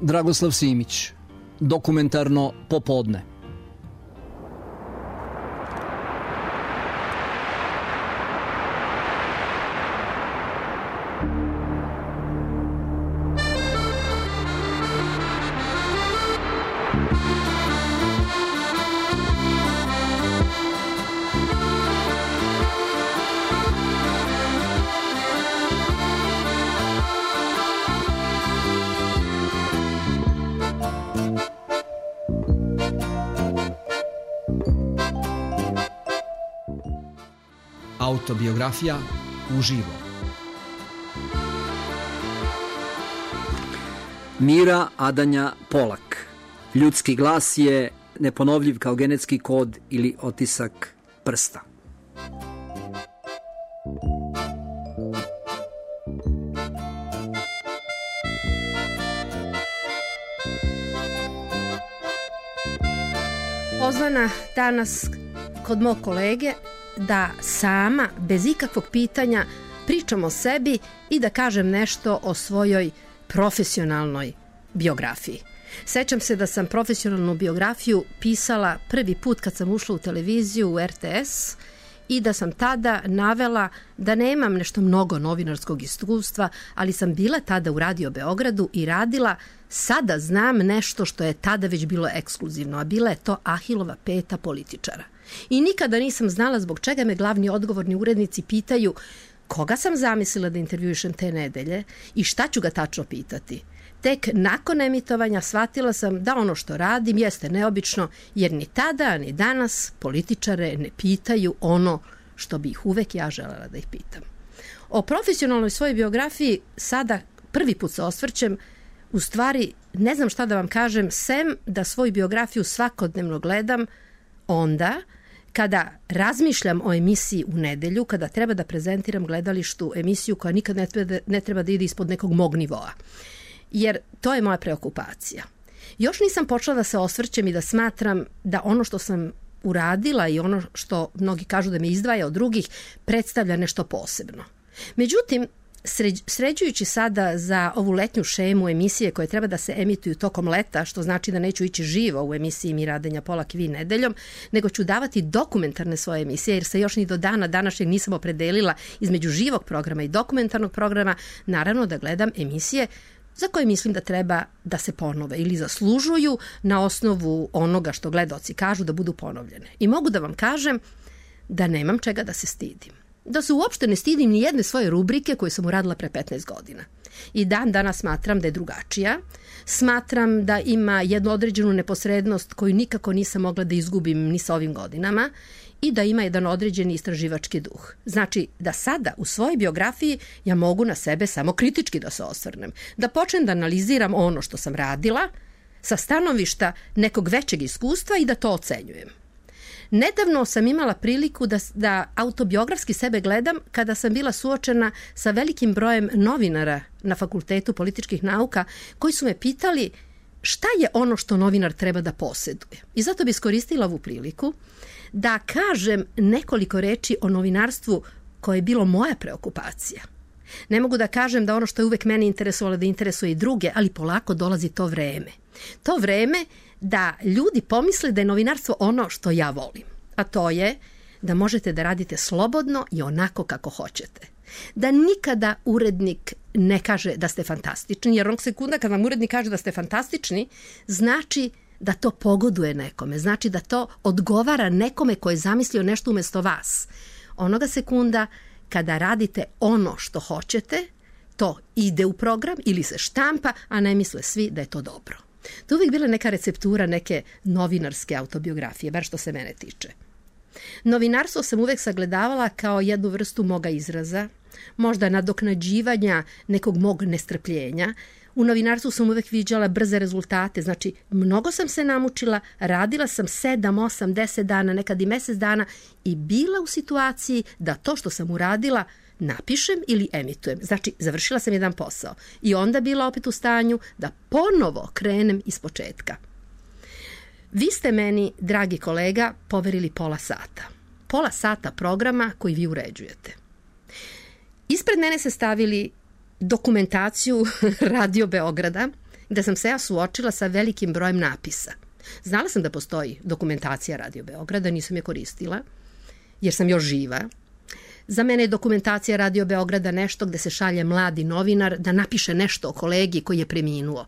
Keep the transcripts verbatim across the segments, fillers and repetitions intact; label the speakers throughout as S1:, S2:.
S1: Dragoslav Simić, Dokumentarno popodne.
S2: Autobiografija uživo.
S1: Mira Adanja Polak. Ljudski glas je neponovljiv kao genetski kod ili otisak prsta.
S3: Pozvana danas kod mog kolege da sama, bez ikakvog pitanja, pričam o sebi i da kažem nešto o svojoj profesionalnoj biografiji. Sećam se da sam profesionalnu biografiju pisala prvi put kad sam ušla u televiziju, u R T S, i da sam tada navela da nemam nešto mnogo novinarskog iskustva, ali sam bila tada u Radio Beogradu i radila, sada znam nešto što je tada već bilo ekskluzivno, a bila je to Ahilova peta političara. I nikada nisam znala zbog čega me glavni odgovorni urednici pitaju koga sam zamislila da intervjuišem te nedelje i šta ću ga tačno pitati. Tek nakon emitovanja shvatila sam da ono što radim jeste neobično, jer ni tada ni danas političare ne pitaju ono što bi ih uvek ja želela da ih pitam. O profesionalnoj svojoj biografiji sada prvi put se osvrćem, u stvari ne znam šta da vam kažem, sem da svoju biografiju svakodnevno gledam onda kada razmišljam o emisiji u nedelju, kada treba da prezentiram gledalištu emisiju koja nikad ne treba, ne treba da ide ispod nekog mog nivoa. Jer to je moja preokupacija. Još nisam počela da se osvrćem i da smatram da ono što sam uradila i ono što mnogi kažu da me izdvaja od drugih predstavlja nešto posebno. Međutim, sređujući sada za ovu letnju šemu emisije koje treba da se emituju tokom leta, što znači da neću ići živo u emisiji Mira Adanja Polak i vi nedeljom, nego ću davati dokumentarne svoje emisije, jer se još ni do dana današnjeg nisam opredelila između živog programa i dokumentarnog programa, naravno da gledam emisije za koje mislim da treba da se ponove ili zaslužuju na osnovu onoga što gledaoci kažu da budu ponovljene. I mogu da vam kažem da nemam čega da se stidim. Da se uopšte ne stidim ni jedne svoje rubrike koje sam uradila pre petnaest godina. I dan danas smatram da je drugačija. Smatram da ima jednu određenu neposrednost koju nikako nisam mogla da izgubim ni sa ovim godinama i da ima jedan određeni istraživački duh. Znači da sada u svojoj biografiji ja mogu na sebe samo kritički da se osvrnem. Da počnem da analiziram ono što sam radila sa stanovišta nekog većeg iskustva i da to ocenjujem. Nedavno sam imala priliku da, da autobiografski sebe gledam kada sam bila suočena sa velikim brojem novinara na Fakultetu političkih nauka koji su me pitali šta je ono što novinar treba da poseduje. I zato bi iskoristila ovu priliku da kažem nekoliko reči o novinarstvu koje je bilo moja preokupacija. Ne mogu da kažem da ono što je uvek mene interesovalo da interesuje i druge, ali polako dolazi to vreme. To vreme da ljudi pomisle da je novinarstvo ono što ja volim, a to je da možete da radite slobodno i onako kako hoćete. Da nikada urednik ne kaže da ste fantastični, jer onog sekunda kad vam urednik kaže da ste fantastični, znači da to pogoduje nekome, znači da to odgovara nekome ko je zamislio nešto umesto vas. Onoga sekunda kada radite ono što hoćete, to ide u program ili se štampa, a ne misle svi da je to dobro. To je uvijek bila neka receptura neke novinarske autobiografije, bar što se mene tiče. Novinarstvo sam uvek sagledavala kao jednu vrstu moga izraza, možda nadoknađivanja nekog mog nestrpljenja. U novinarstvu sam uvek viđala brze rezultate, znači mnogo sam se namučila, radila sam sedam, osam, deset dana, nekad i mesec dana i bila u situaciji da to što sam uradila napišem ili emitujem. Znači, završila sam jedan posao i onda bila opet u stanju da ponovo krenem iz početka. Vi ste meni, dragi kolega, poverili pola sata. Pola sata programa koji vi uređujete. Ispred mene se stavili dokumentaciju Radio Beograda gde sam se ja suočila sa velikim brojem napisa. Znala sam da postoji dokumentacija Radio Beograda, nisam je koristila, jer sam još živa. Za mene je dokumentacija Radio Beograda nešto gde se šalje mladi novinar da napiše nešto o kolegi koji je preminuo.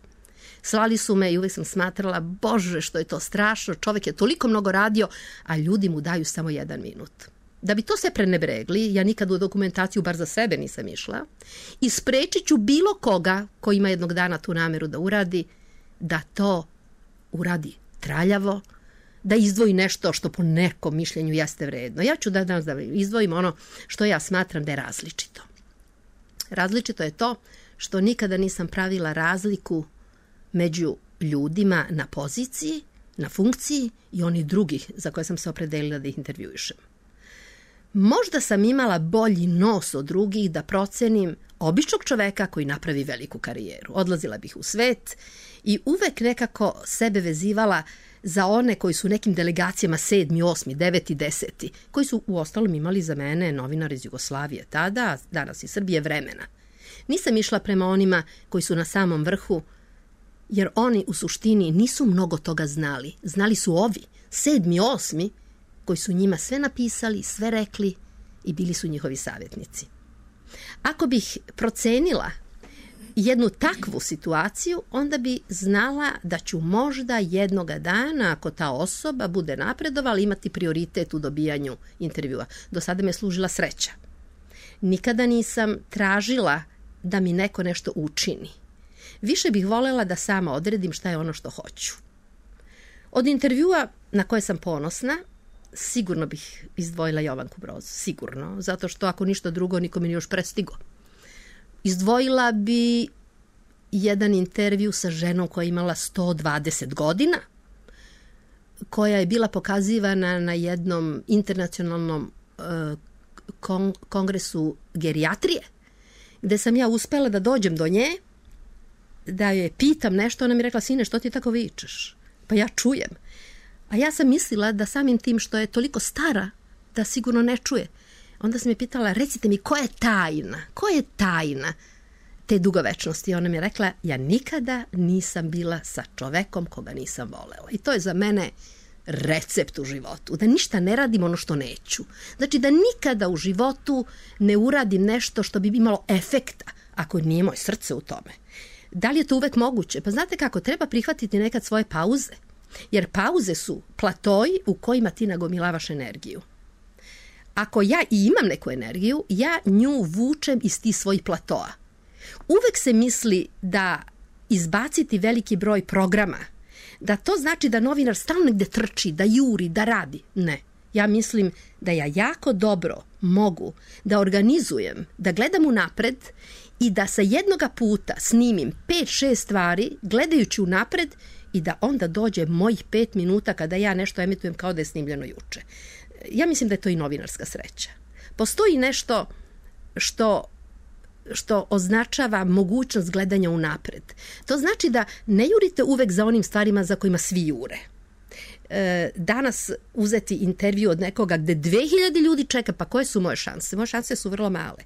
S3: Slali su me i uvek sam smatrala, bože, što je to strašno, čovek je toliko mnogo radio, a ljudi mu daju samo jedan minut. Da bi to sve prenebregli, ja nikad u dokumentaciju, bar za sebe, nisam išla, i sprečit ću bilo koga ko ima jednog dana tu nameru da uradi, da to uradi traljavo, da izdvoji nešto što po nekom mišljenju jeste vredno. Ja ću da danas da izdvojim ono što ja smatram da je različito. Različito je to što nikada nisam pravila razliku među ljudima na poziciji, na funkciji i oni drugih za koje sam se opredelila da ih intervjuišem. Možda sam imala bolji nos od drugih da procenim običnog čoveka koji napravi veliku karijeru. Odlazila bih u svet i uvek nekako sebe vezivala za one koji su nekim delegacijama sedmi, osmi, deveti, deseti, koji su uostalom imali za mene novinar iz Jugoslavije tada, danas iz Srbije, vremena. Nisam išla prema onima koji su na samom vrhu, jer oni u suštini nisu mnogo toga znali. Znali su ovi, sedmi, osmi, koji su njima sve napisali, sve rekli i bili su njihovi savjetnici. Ako bih procenila jednu takvu situaciju, onda bi znala da ću možda jednoga dana, ako ta osoba bude napredovala, imati prioritet u dobijanju intervjua. Do sada me je služila sreća. Nikada nisam tražila da mi neko nešto učini. Više bih volela da sama odredim šta je ono što hoću. Od intervjua na koje sam ponosna, sigurno bih izdvojila Jovanku Broz, sigurno, zato što ako ništa drugo, niko mi nije još prestigo. Izdvojila bi jedan intervju sa ženom koja je imala sto dvadeset godina, koja je bila pokazivana na jednom internacionalnom uh, kon- kongresu gerijatrije, gde sam ja uspela da dođem do nje, da je pitam nešto, ona mi rekla, sine, što ti tako vičeš? Pa ja čujem. A ja sam mislila da samim tim što je toliko stara, da sigurno ne čuje. Onda sam je pitala, recite mi, ko je tajna? Ko je tajna te dugovečnosti? Ona mi je rekla, ja nikada nisam bila sa čovekom koga nisam volela. I to je za mene recept u životu. Da ništa ne radim ono što neću. Znači da nikada u životu ne uradim nešto što bi imalo efekta, ako nije moje srce u tome. Da li je to uvek moguće? Pa znate kako, treba prihvatiti nekad svoje pauze. Jer pauze su platoji u kojima ti nagomilavaš energiju. Ako ja i imam neku energiju, ja nju vučem iz tih svojih platoa. Uvek se misli da izbaciti veliki broj programa, da to znači da novinar stalno negde trči, da juri, da radi. Ne. Ja mislim da ja jako dobro mogu da organizujem, da gledam unapred i da sa jednoga puta snimim pet, šest stvari gledajući unapred i da onda dođe mojih pet minuta kada ja nešto emitujem kao da je snimljeno juče. Ja mislim da je to i novinarska sreća. Postoji nešto što, što označava mogućnost gledanja unapred. To znači da ne jurite uvek za onim stvarima za kojima svi jure. E, danas uzeti intervju od nekoga gde dve hiljade ljudi čeka, pa koje su moje šanse? Moje šanse su vrlo male.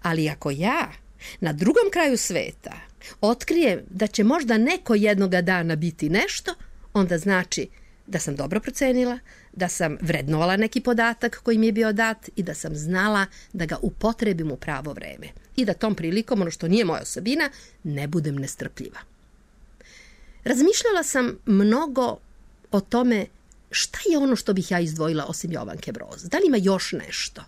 S3: Ali ako ja na drugom kraju sveta otkrijem da će možda neko jednoga dana biti nešto, onda znači da sam dobro procenila, da sam vrednovala neki podatak koji mi je bio dat i da sam znala da ga upotrebim u pravo vreme. I da tom prilikom, ono što nije moja osobina, ne budem nestrpljiva. Razmišljala sam mnogo o tome šta je ono što bih ja izdvojila osim Jovanke Broz. Da li ima još nešto?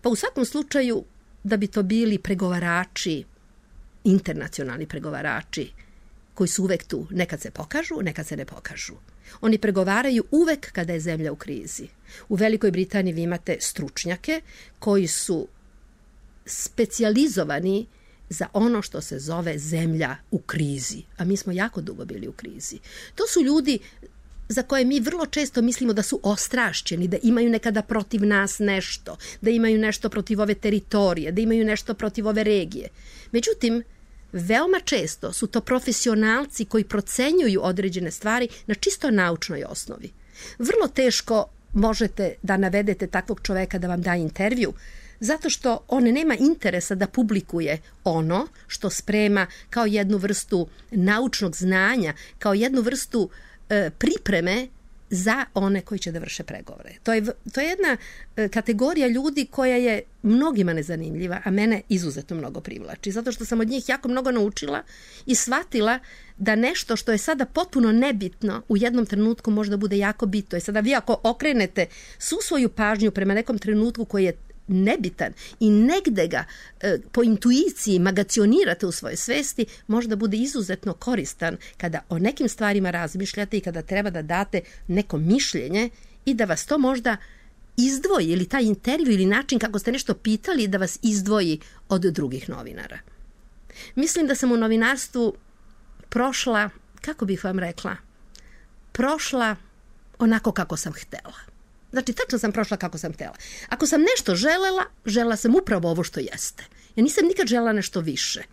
S3: Pa u svakom slučaju da bi to bili pregovarači, internacionalni pregovarači, koji su uvek tu. Nekad se pokažu, nekad se ne pokažu. Oni pregovaraju uvek kada je zemlja u krizi. U Velikoj Britaniji vi imate stručnjake koji su specijalizovani za ono što se zove zemlja u krizi. A mi smo jako dugo bili u krizi. To su ljudi za koje mi vrlo često mislimo da su ostrašćeni, da imaju nekada protiv nas nešto, da imaju nešto protiv ove teritorije, da imaju nešto protiv ove regije. Međutim, veoma često su to profesionalci koji procenjuju određene stvari na čisto naučnoj osnovi. Vrlo teško možete da navedete takvog čoveka da vam da intervju zato što on nema interesa da publikuje ono što sprema kao jednu vrstu naučnog znanja, kao jednu vrstu e, pripreme za one koji će da vrše pregovore. To je, to je jedna e, kategorija ljudi koja je mnogima nezanimljiva, a mene izuzetno mnogo privlači, zato što sam od njih jako mnogo naučila i shvatila da nešto što je sada potpuno nebitno u jednom trenutku možda bude jako bitno. I sada vi ako okrenete svu svoju pažnju prema nekom trenutku koji je nebitan i negde ga e, po intuiciji magacionirate u svojoj svesti, možda bude izuzetno koristan kada o nekim stvarima razmišljate i kada treba da date neko mišljenje i da vas to možda izdvoji, ili taj intervju ili način kako ste nešto pitali da vas izdvoji od drugih novinara. Mislim da sam u novinarstvu prošla, kako bih vam rekla, prošla onako kako sam htela. Znači, tačno sam prošla kako sam htela. Ako sam nešto želela, želela sam upravo ovo što jeste. Ja nisam nikad želela nešto više.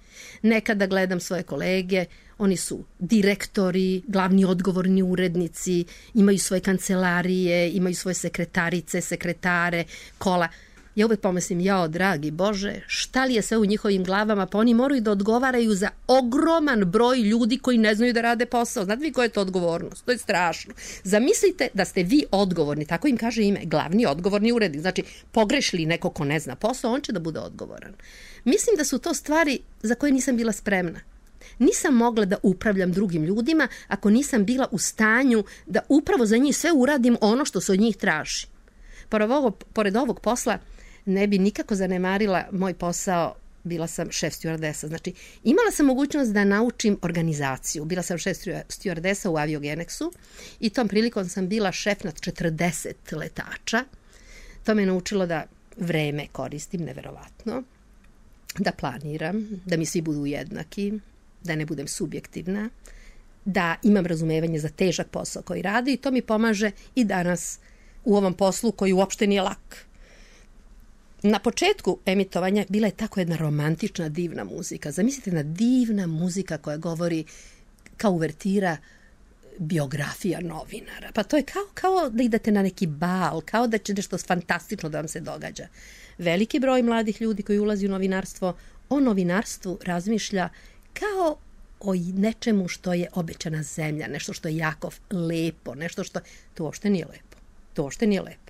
S3: Nekada gledam svoje kolege, oni su direktori, glavni odgovorni urednici, imaju svoje kancelarije, imaju svoje sekretarice, sekretare, kola. Ja uvek pomislim, jao, dragi Bože, šta li je sve u njihovim glavama, pa oni moraju da odgovaraju za ogroman broj ljudi koji ne znaju da rade posao. Znate vi koja je to odgovornost? To je strašno. Zamislite da ste vi odgovorni, tako im kaže ime, glavni odgovorni urednik. Znači, pogrešili neko ko ne zna posao, on će da bude odgovoran. Mislim da su to stvari za koje nisam bila spremna. Nisam mogla da upravljam drugim ljudima ako nisam bila u stanju da upravo za njih sve uradim ono što se od njih traži. Pored ovog, pored ovog posla ne bi nikako zanemarila moj posao, bila sam šef stjuardesa. Znači, imala sam mogućnost da naučim organizaciju. Bila sam šef stjuardesa u Aviogeneksu i tom prilikom sam bila šef nad četrdeset letača. To me naučilo da vreme koristim, neverovatno, da planiram, da mi svi budu jednaki, da ne budem subjektivna, da imam razumevanje za težak posao koji radi i to mi pomaže i danas u ovom poslu koji uopšte nije lak. Na početku emitovanja bila je tako jedna romantična, divna muzika. Zamislite, jedna divna muzika koja govori kao uvertira biografija novinara. Pa to je kao, kao da idete na neki bal, kao da će nešto fantastično da vam se događa. Veliki broj mladih ljudi koji ulazi u novinarstvo, o novinarstvu razmišlja kao o nečemu što je obećana zemlja, nešto što je jako lepo, nešto što... To uopšte nije lepo. To uopšte nije lepo.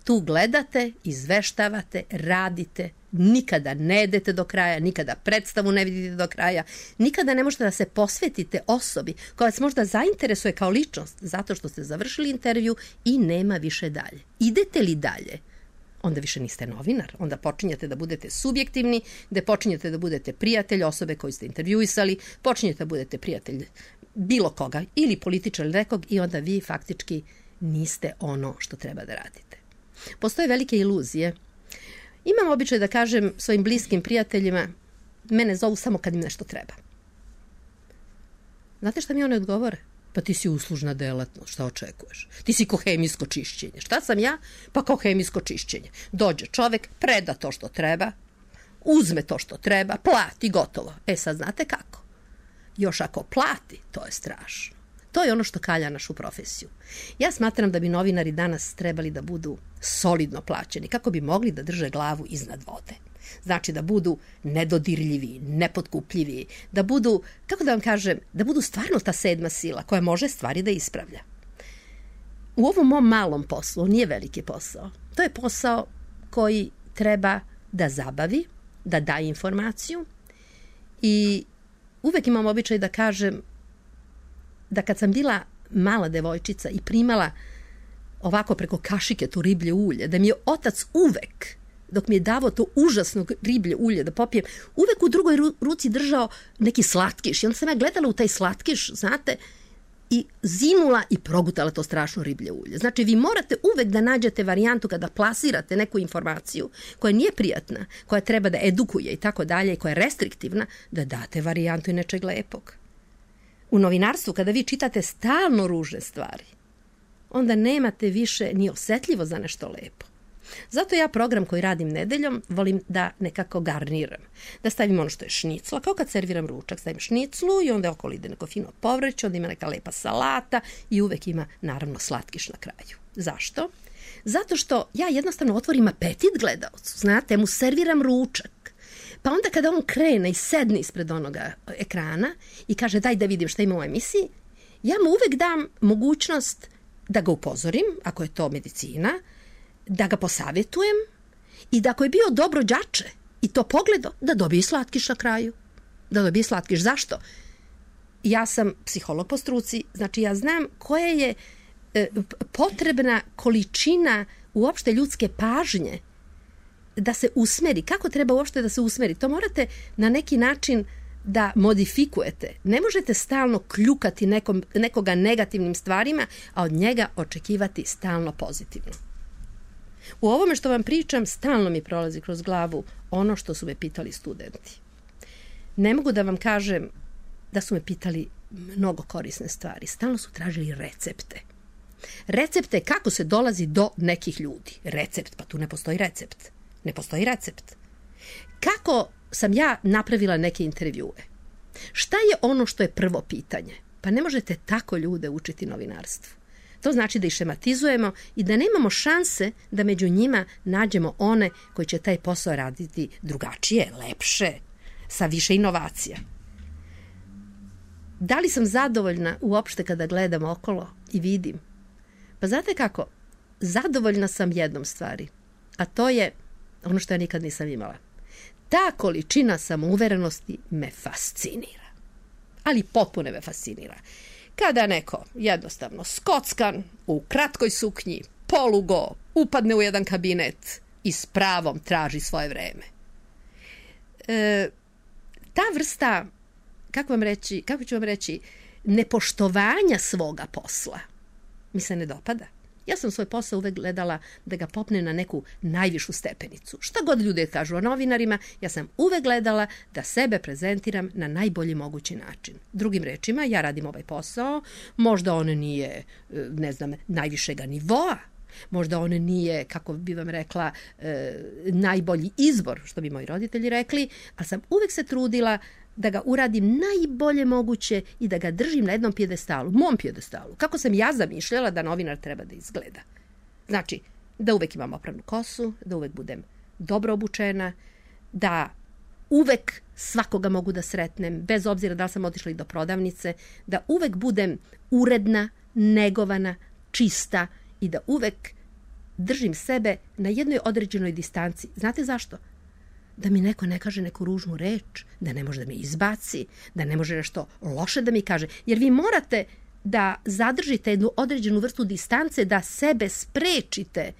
S3: Tu gledate, izveštavate, radite, nikada ne idete do kraja, nikada predstavu ne vidite do kraja, nikada ne možete da se posvetite osobi koja vas možda zainteresuje kao ličnost zato što ste završili intervju i nema više dalje. Idete li dalje? Onda više niste novinar, onda počinjete da budete subjektivni, gde počinjete da budete prijatelj osobe koju ste intervjuisali, počinjete da budete prijatelj bilo koga ili političar ili nekog i onda vi faktički niste ono što treba da radite. Postoje velike iluzije. Imam običaj da kažem svojim bliskim prijateljima, mene zovu samo kad im nešto treba. Znate šta mi one odgovore? Pa ti si uslužna delatnost, šta očekuješ? Ti si ko hemijsko čišćenje. Šta sam ja? Pa kao hemijsko čišćenje. Dođe čovek, preda to što treba, uzme to što treba, plati, gotovo. E sad znate kako? Još ako plati, to je strašno. To je ono što kalja našu profesiju. Ja smatram da bi novinari danas trebali da budu solidno plaćeni, kako bi mogli da drže glavu iznad vode. Znači da budu nedodirljivi, nepotkupljivi, da budu, kako da vam kažem, da budu stvarno ta sedma sila koja može stvari da ispravlja. U ovom mom malom poslu, nije veliki posao, to je posao koji treba da zabavi, da daje informaciju i uvek imam običaj da kažem da kad sam bila mala devojčica i primala ovako preko kašike to riblje ulje, da mi je otac uvek, dok mi je davao to užasno riblje ulje da popijem, uvek u drugoj ruci držao neki slatkiš. I onda sam ja gledala u taj slatkiš, znate, i zinula i progutala to strašno riblje ulje. Znači, vi morate uvek da nađete varijantu kada plasirate neku informaciju koja nije prijatna, koja treba da edukuje i tako dalje, i koja je restriktivna, da date varijantu i nečeg lepog. U novinarstvu, kada vi čitate stalno ružne stvari, onda nemate više ni osetljivo za nešto lepo. Zato ja program koji radim nedeljom volim da nekako garniram. Da stavim ono što je šnicla, kao kad serviram ručak, stavim šniclu i onda okolo ide neko fino povrće, onda ima neka lepa salata i uvek ima naravno slatkiš na kraju. Zašto? Zato što ja jednostavno otvorim apetit gledaocu, znate, mu serviram ručak. Pa onda kada on krene i sedne ispred onoga ekrana i kaže daj da vidim šta ima u emisiji, ja mu uvek dam mogućnost da ga upozorim, ako je to medicina, da ga posavjetujem i da ako je bio dobro đače i to pogledo, da dobije slatkiš na kraju. Da dobije slatkiš. Zašto? Ja sam psiholog po struci, znači ja znam koja je e, potrebna količina uopšte ljudske pažnje da se usmeri. Kako treba uopšte da se usmeri? To morate na neki način da modifikujete. Ne možete stalno kljukati nekom, nekoga negativnim stvarima, a od njega očekivati stalno pozitivno. U ovome što vam pričam, stalno mi prolazi kroz glavu ono što su me pitali studenti. Ne mogu da vam kažem da su me pitali mnogo korisne stvari. Stalno su tražili recepte. Recepte kako se dolazi do nekih ljudi. Recept, pa tu ne postoji recept. Ne postoji recept. Kako sam ja napravila neke intervjue? Šta je ono što je prvo pitanje? Pa ne možete tako ljude učiti novinarstvu. To znači da ih šematizujemo i da nemamo šanse da među njima nađemo one koji će taj posao raditi drugačije, lepše, sa više inovacija. Da li sam zadovoljna uopšte kada gledam okolo i vidim? Pa znate kako? Zadovoljna sam jednom stvari, a to je ono što ja nikad nisam imala. Ta količina samouverenosti me fascinira. Ali potpuno me fascinira. Kada neko jednostavno skockan, u kratkoj suknji, polugo, upadne u jedan kabinet i s pravom traži svoje vreme. E, ta vrsta, kako vam reći, kako ću vam reći, nepoštovanja svoga posla mi se ne dopada. Ja sam svoj posao uvek gledala da ga popne na neku najvišu stepenicu. Šta god ljudi kažu o novinarima, ja sam uvek gledala da sebe prezentiram na najbolji mogući način. Drugim rečima, ja radim ovaj posao, možda on nije, ne znam, najvišega nivoa, možda on nije, kako bi vam rekla, najbolji izbor, što bi moji roditelji rekli, ali sam uvek se trudila da ga uradim najbolje moguće i da ga držim na jednom pijedestalu, mom pijedestalu, kako sam ja zamišljala da novinar treba da izgleda. Znači, da uvek imam opranu kosu, da uvek budem dobro obučena, da uvek svakoga mogu da sretnem, bez obzira da li sam otišla i do prodavnice, da uvek budem uredna, negovana, čista i da uvek držim sebe na jednoj određenoj distanci. Znate zašto? Da mi neko ne kaže neku ružnu reč, da ne može da mi izbaci, da ne može nešto loše da mi kaže. Jer vi morate da zadržite jednu određenu vrstu distance, da sebe sprečite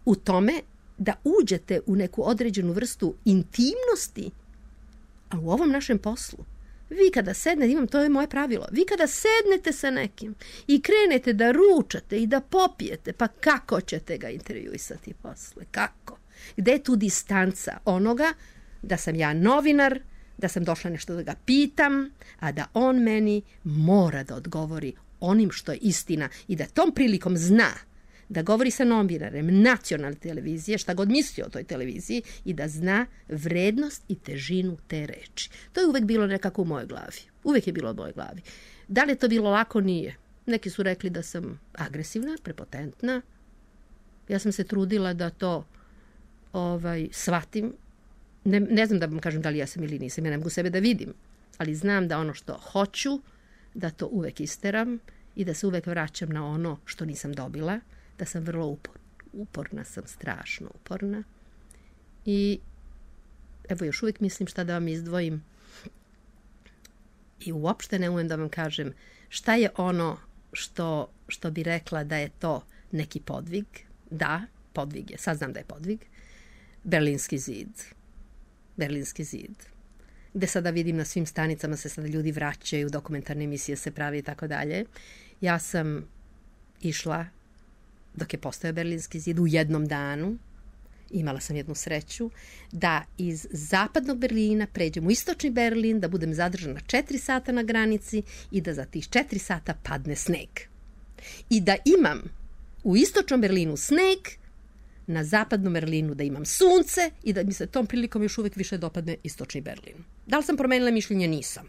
S3: u tome da uđete u neku određenu vrstu intimnosti. A u ovom našem poslu, vi kada sednete, imam, to je moje pravilo, vi kada sednete sa nekim i krenete da ručate i da popijete, pa kako ćete ga intervjuisati posle? Kako? Gde je tu distanca onoga da sam ja novinar, da sam došla nešto da ga pitam, a da on meni mora da odgovori onim što je istina i da tom prilikom zna da govori sa novinarem nacionalne televizije, šta god misli o toj televiziji i da zna vrednost i težinu te reči. To je uvek bilo nekako u mojoj glavi. Uvek je bilo u mojoj glavi. Da li je to bilo lako? Nije. Neki su rekli da sam agresivna, prepotentna. Ja sam se trudila da to ovaj, shvatim. Ne, ne znam da vam kažem da li ja sam ili nisam. Ja ne mogu sebe da vidim. Ali znam da ono što hoću, da to uvek isteram i da se uvek vraćam na ono što nisam dobila. Da sam vrlo uporna. Uporna sam, strašno uporna. I evo još uvijek mislim šta da vam izdvojim. I uopšte ne umem da vam kažem šta je ono što, što bi rekla da je to neki podvig. Da, podvig je. Sad znam da je podvig. Berlinski zid. Berlinski zid. Gde sada vidim na svim stanicama se sada ljudi vraćaju, dokumentarne emisije se pravi i tako dalje. Ja sam išla dok je postojao Berlinski zid u jednom danu, imala sam jednu sreću, da iz zapadnog Berlina pređem u istočni Berlin, da budem zadržana četiri sata na granici i da za tih četiri sata padne sneg. I da imam u istočnom Berlinu sneg, na zapadnom Berlinu da imam sunce i da mi se tom prilikom još uvek više dopadne istočni Berlin. Da li sam promenila mišljenje? Nisam.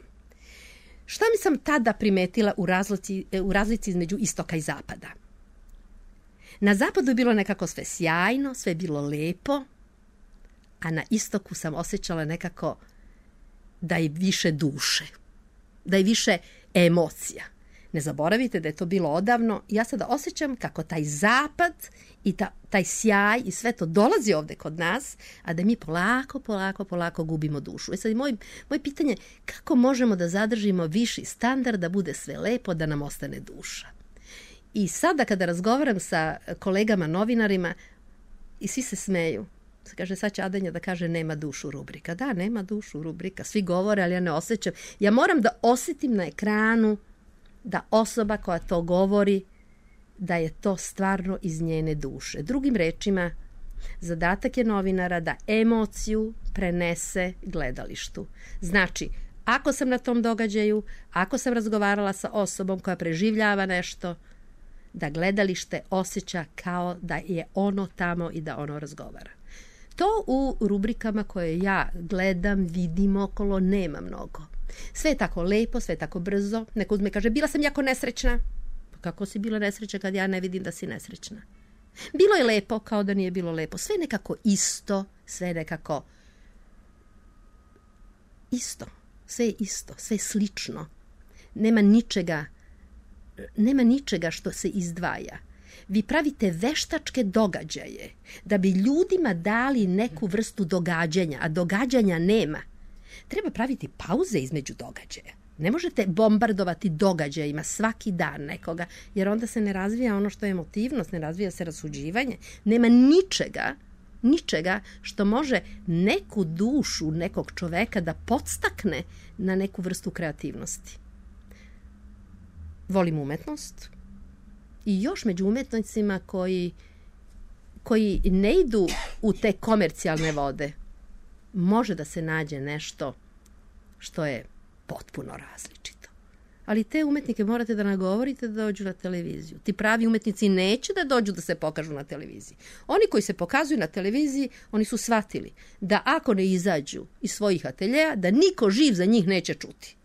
S3: Šta mi sam tada primetila u razlici, u razlici između istoka i zapada? Na zapadu je bilo nekako sve sjajno, sve je bilo lepo, a na istoku sam osjećala nekako da je više duše, da je više emocija. Ne zaboravite da je to bilo odavno. Ja sada osjećam kako taj zapad i ta, taj sjaj i sve to dolazi ovde kod nas, a da mi polako, polako, polako gubimo dušu. E sad, moj, moje pitanje, kako možemo da zadržimo viši standard, da bude sve lepo, da nam ostane duša? I sada kada razgovaram sa kolegama novinarima, i svi se smeju. Kaže, sad će Adanja da kaže nema dušu rubrika. Da, nema dušu rubrika. Svi govore, ali ja ne osjećam. Ja moram da osjetim na ekranu da osoba koja to govori, da je to stvarno iz njene duše. Drugim rečima, zadatak je novinara da emociju prenese gledalištu. Znači, ako sam na tom događaju, ako sam razgovarala sa osobom koja preživljava nešto, da gledalište osjeća kao da je ono tamo i da ono razgovara. To u rubrikama koje ja gledam, vidim okolo, nema mnogo. Sve je tako lepo, sve je tako brzo. Neko uzme i kaže, bila sam jako nesrećna. Pa kako si bila nesrećna kad ja ne vidim da si nesrećna? Bilo je lepo kao da nije bilo lepo. Sve je nekako isto, sve je nekako isto. Sve je isto, sve je slično. Nema ničega, nema ničega što se izdvaja. Vi pravite veštačke događaje da bi ljudima dali neku vrstu događanja, a događanja nema. Treba praviti pauze između događaja. Ne možete bombardovati događajima svaki dan nekoga, jer onda se ne razvija ono što je emotivnost, ne razvija se rasuđivanje. Nema ničega, ničega što može neku dušu nekog čoveka da podstakne na neku vrstu kreativnosti. Volim umetnost i još među umetnicima koji, koji ne idu u te komercijalne vode, može da se nađe nešto što je potpuno različito. Ali te umetnike morate da nagovorite da dođu na televiziju. Ti pravi umetnici neće da dođu da se pokažu na televiziji. Oni koji se pokazuju na televiziji, oni su shvatili da ako ne izađu iz svojih ateljeja, da niko živ za njih neće čuti.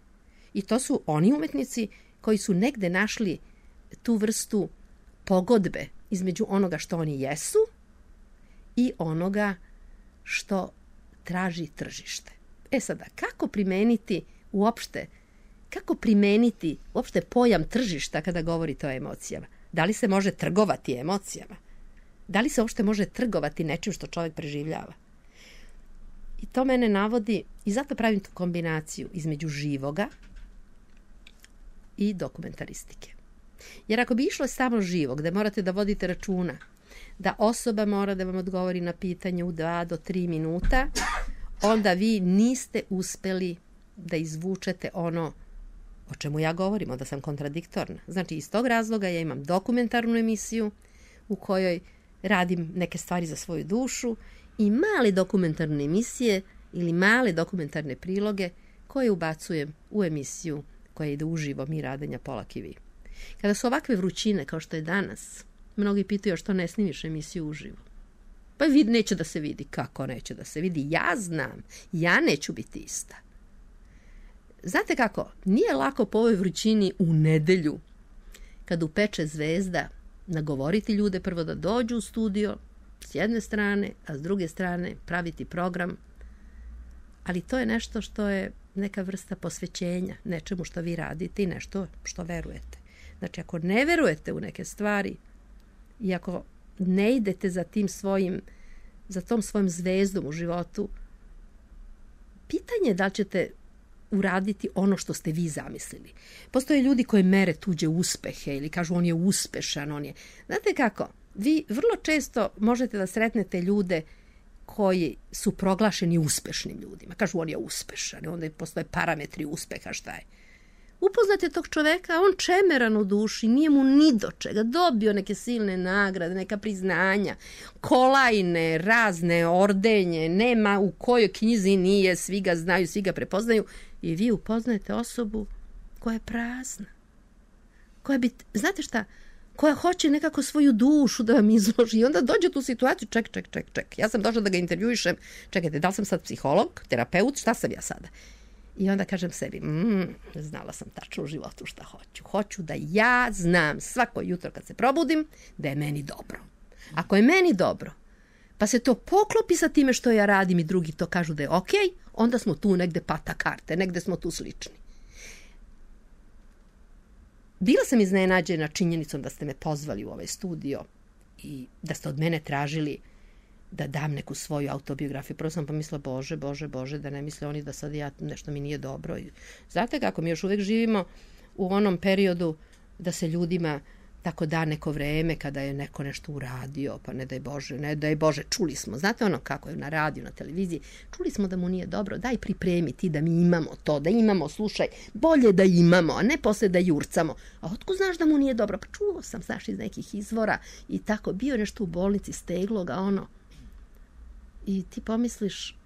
S3: I to su oni umetnici koji su negde našli tu vrstu pogodbe između onoga što oni jesu i onoga što traži tržište. E sada, kako primeniti uopšte, kako primeniti uopšte pojam tržišta kada govorite o emocijama? Da li se može trgovati emocijama? Da li se uopšte može trgovati nečim što čovjek preživljava? I to mene navodi, i zato pravim tu kombinaciju između živoga i dokumentaristike. Jer ako bi išlo samo živo, gde morate da vodite računa da osoba mora da vam odgovori na pitanje u dva do tri minuta, onda vi niste uspeli da izvučete ono o čemu ja govorim, onda sam kontradiktorna. Znači, iz tog razloga ja imam dokumentarnu emisiju u kojoj radim neke stvari za svoju dušu i male dokumentarne emisije ili male dokumentarne priloge koje ubacujem u emisiju koja ide uživo Mi Radanja Polak i vi. Kada su ovakve vrućine kao što je danas, mnogi pitaju što ne snimiš emisiju uživo. Pa vid neće da se vidi. Kako neće da se vidi? Ja znam. Ja neću biti ista. Znate kako? Nije lako po ovoj vrućini u nedelju, kad upeče zvezda, nagovoriti ljude prvo da dođu u studio s jedne strane, a s druge strane praviti program. Ali to je nešto što je neka vrsta posvećenja nečemu što vi radite i nešto što verujete. Znači, ako ne verujete u neke stvari i ako ne idete za tim svojim, za tom svojim zvezdom u životu, pitanje je da li ćete uraditi ono što ste vi zamislili. Postoje ljudi koji mere tuđe uspehe ili kažu on je uspešan, on je... Znate kako? Vi vrlo često možete da sretnete ljude koji su proglašeni uspešnim ljudima. Kažu on je uspešan, onda postoje parametri uspeha, šta je. Upoznate tog čoveka, on čemeran u duši, nije mu ni do čega, dobio neke silne nagrade, neka priznanja, kolajne, razne ordenje, nema u kojoj knjizi nije, svi ga znaju, svi ga prepoznaju i vi upoznajete osobu koja je prazna. Koja bi, znate šta, koja hoće nekako svoju dušu da vam izloži i onda dođe tu situaciju, ček, ček, ček, ček, ja sam došla da ga intervjuišem, čekajte, da li sam sad psiholog, terapeut, šta sam ja sada? I onda kažem sebi, mm, znala sam tačno u životu šta hoću. Hoću da ja znam svako jutro kad se probudim da je meni dobro. Ako je meni dobro, pa se to poklopi sa time što ja radim i drugi to kažu da je okej, onda smo tu negde pata karte, negde smo tu slični. Bila sam iznenađena činjenicom da ste me pozvali u ovaj studio i da ste od mene tražili da dam neku svoju autobiografiju. Prvo sam pomislila, bože, bože, bože, da ne misle oni da sad ja nešto mi nije dobro. Znate kako, mi još uvek živimo u onom periodu da se ljudima tako da neko vreme kada je neko nešto uradio, pa ne daj Bože, ne daj Bože, čuli smo. Znate ono kako je na radiju, na televiziji, čuli smo da mu nije dobro, daj pripremi ti da mi imamo to, da imamo, slušaj, bolje da imamo, a ne posle da jurcamo. A otko znaš da mu nije dobro? Pa čuo sam, znaš, iz nekih izvora i tako, bio nešto u bolnici, steglo ga ono. I ti pomisliš,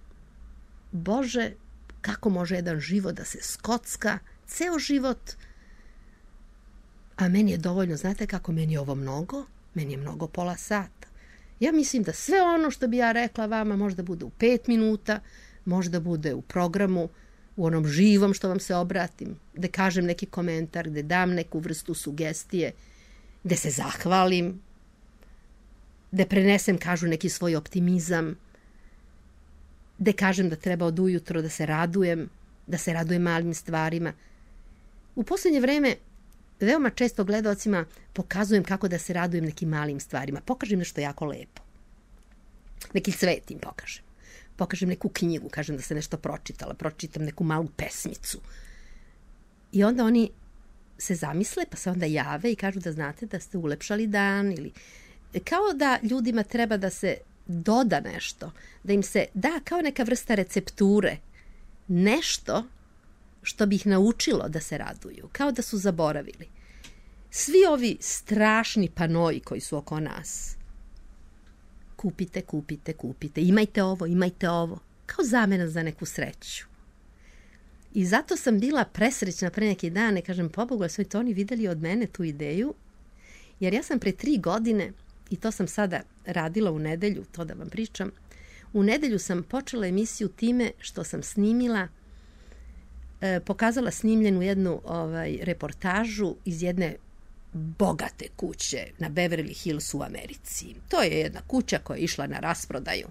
S3: Bože, kako može jedan život da se skocka, ceo život. A meni je dovoljno, znate kako, meni je ovo mnogo, meni je mnogo pola sata. Ja mislim da sve ono što bi ja rekla vama možda bude u pet minuta, možda bude u programu, u onom živom što vam se obratim, da kažem neki komentar, da dam neku vrstu sugestije, da se zahvalim, da prenesem, kažu, neki svoj optimizam, da kažem da treba od ujutro da se radujem, da se radujem malim stvarima. U poslednje vreme veoma često gledaocima pokazujem kako da se radujem nekim malim stvarima. Pokažem nešto jako lepo. Neki cvet im pokažem. Pokažem neku knjigu, kažem da se nešto pročitala, pročitam neku malu pesmicu. I onda oni se zamisle, pa se onda jave i kažu da znate da ste ulepšali dan ili kao da ljudima treba da se doda nešto, da im se da kao neka vrsta recepture, nešto što bi ih naučilo da se raduju, kao da su zaboravili. Svi ovi strašni panoji koji su oko nas, kupite, kupite, kupite, imajte ovo, imajte ovo, kao zamena za neku sreću. I zato sam bila presrećna pre neki dane, kažem, pobogu, su to oni videli od mene tu ideju, jer ja sam pre tri godine, i to sam sada radila u nedelju, to da vam pričam, u nedelju sam počela emisiju time što sam snimila, e, pokazala snimljenu jednu ovaj, reportažu iz jedne bogate kuće na Beverly Hillsu u Americi. To je jedna kuća koja je išla na rasprodaju.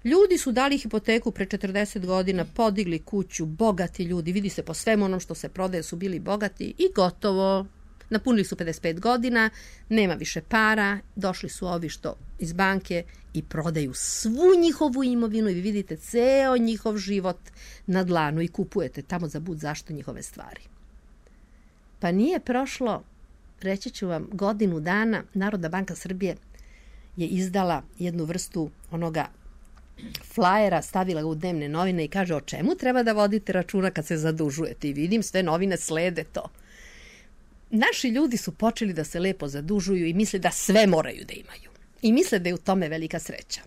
S3: Ljudi su dali hipoteku pre četrdeset godina, podigli kuću, bogati ljudi, vidi se po svemu onom što se prodaje su bili bogati i gotovo. Napunili su pedeset pet godina, nema više para, došli su ovi što iz banke i prodaju svu njihovu imovinu i vi vidite ceo njihov život na dlanu i kupujete tamo za bud zašto njihove stvari. Pa nije prošlo, reći ću vam, godinu dana, Narodna banka Srbije je izdala jednu vrstu onoga flajera, stavila ga u dnevne novine i kaže o čemu treba da vodite računa kad se zadužujete. I vidim, sve novine slede to. Naši ljudi su počeli da se lepo zadužuju i misle da sve moraju da imaju. I misle da je u tome velika sreća.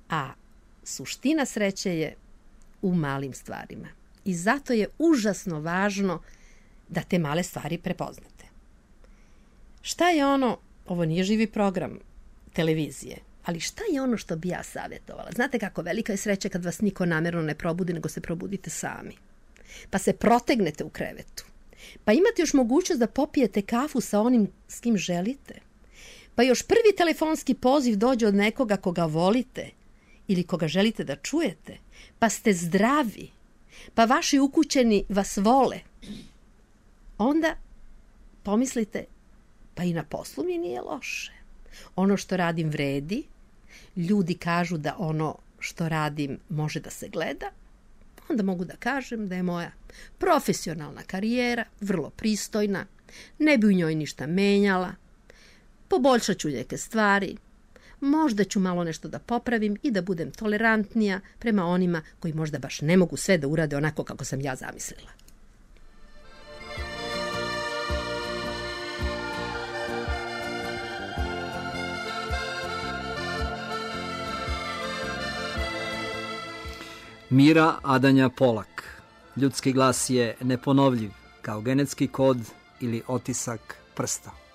S3: A suština sreće je u malim stvarima. I zato je užasno važno da te male stvari prepoznate. Šta je ono, ovo nije živi program televizije, ali šta je ono što bi ja savjetovala? Znate kako velika je sreća kad vas niko namerno ne probudi, nego se probudite sami. Pa se protegnete u krevetu. Pa imate još mogućnost da popijete kafu sa onim s kim želite. Pa još prvi telefonski poziv dođe od nekoga koga volite ili koga želite da čujete. Pa ste zdravi. Pa vaši ukućeni vas vole. Onda pomislite, pa i na poslu mi nije loše. Ono što radim vredi. Ljudi kažu da ono što radim može da se gleda. Onda mogu da kažem da je moja profesionalna karijera vrlo pristojna, ne bi u njoj ništa menjala, poboljšat ću neke stvari, možda ću malo nešto da popravim i da budem tolerantnija prema onima koji možda baš ne mogu sve da urade onako kako sam ja zamislila.
S1: Mira Adanja Polak. Ljudski glas je neponovljiv kao genetski kod ili otisak prsta.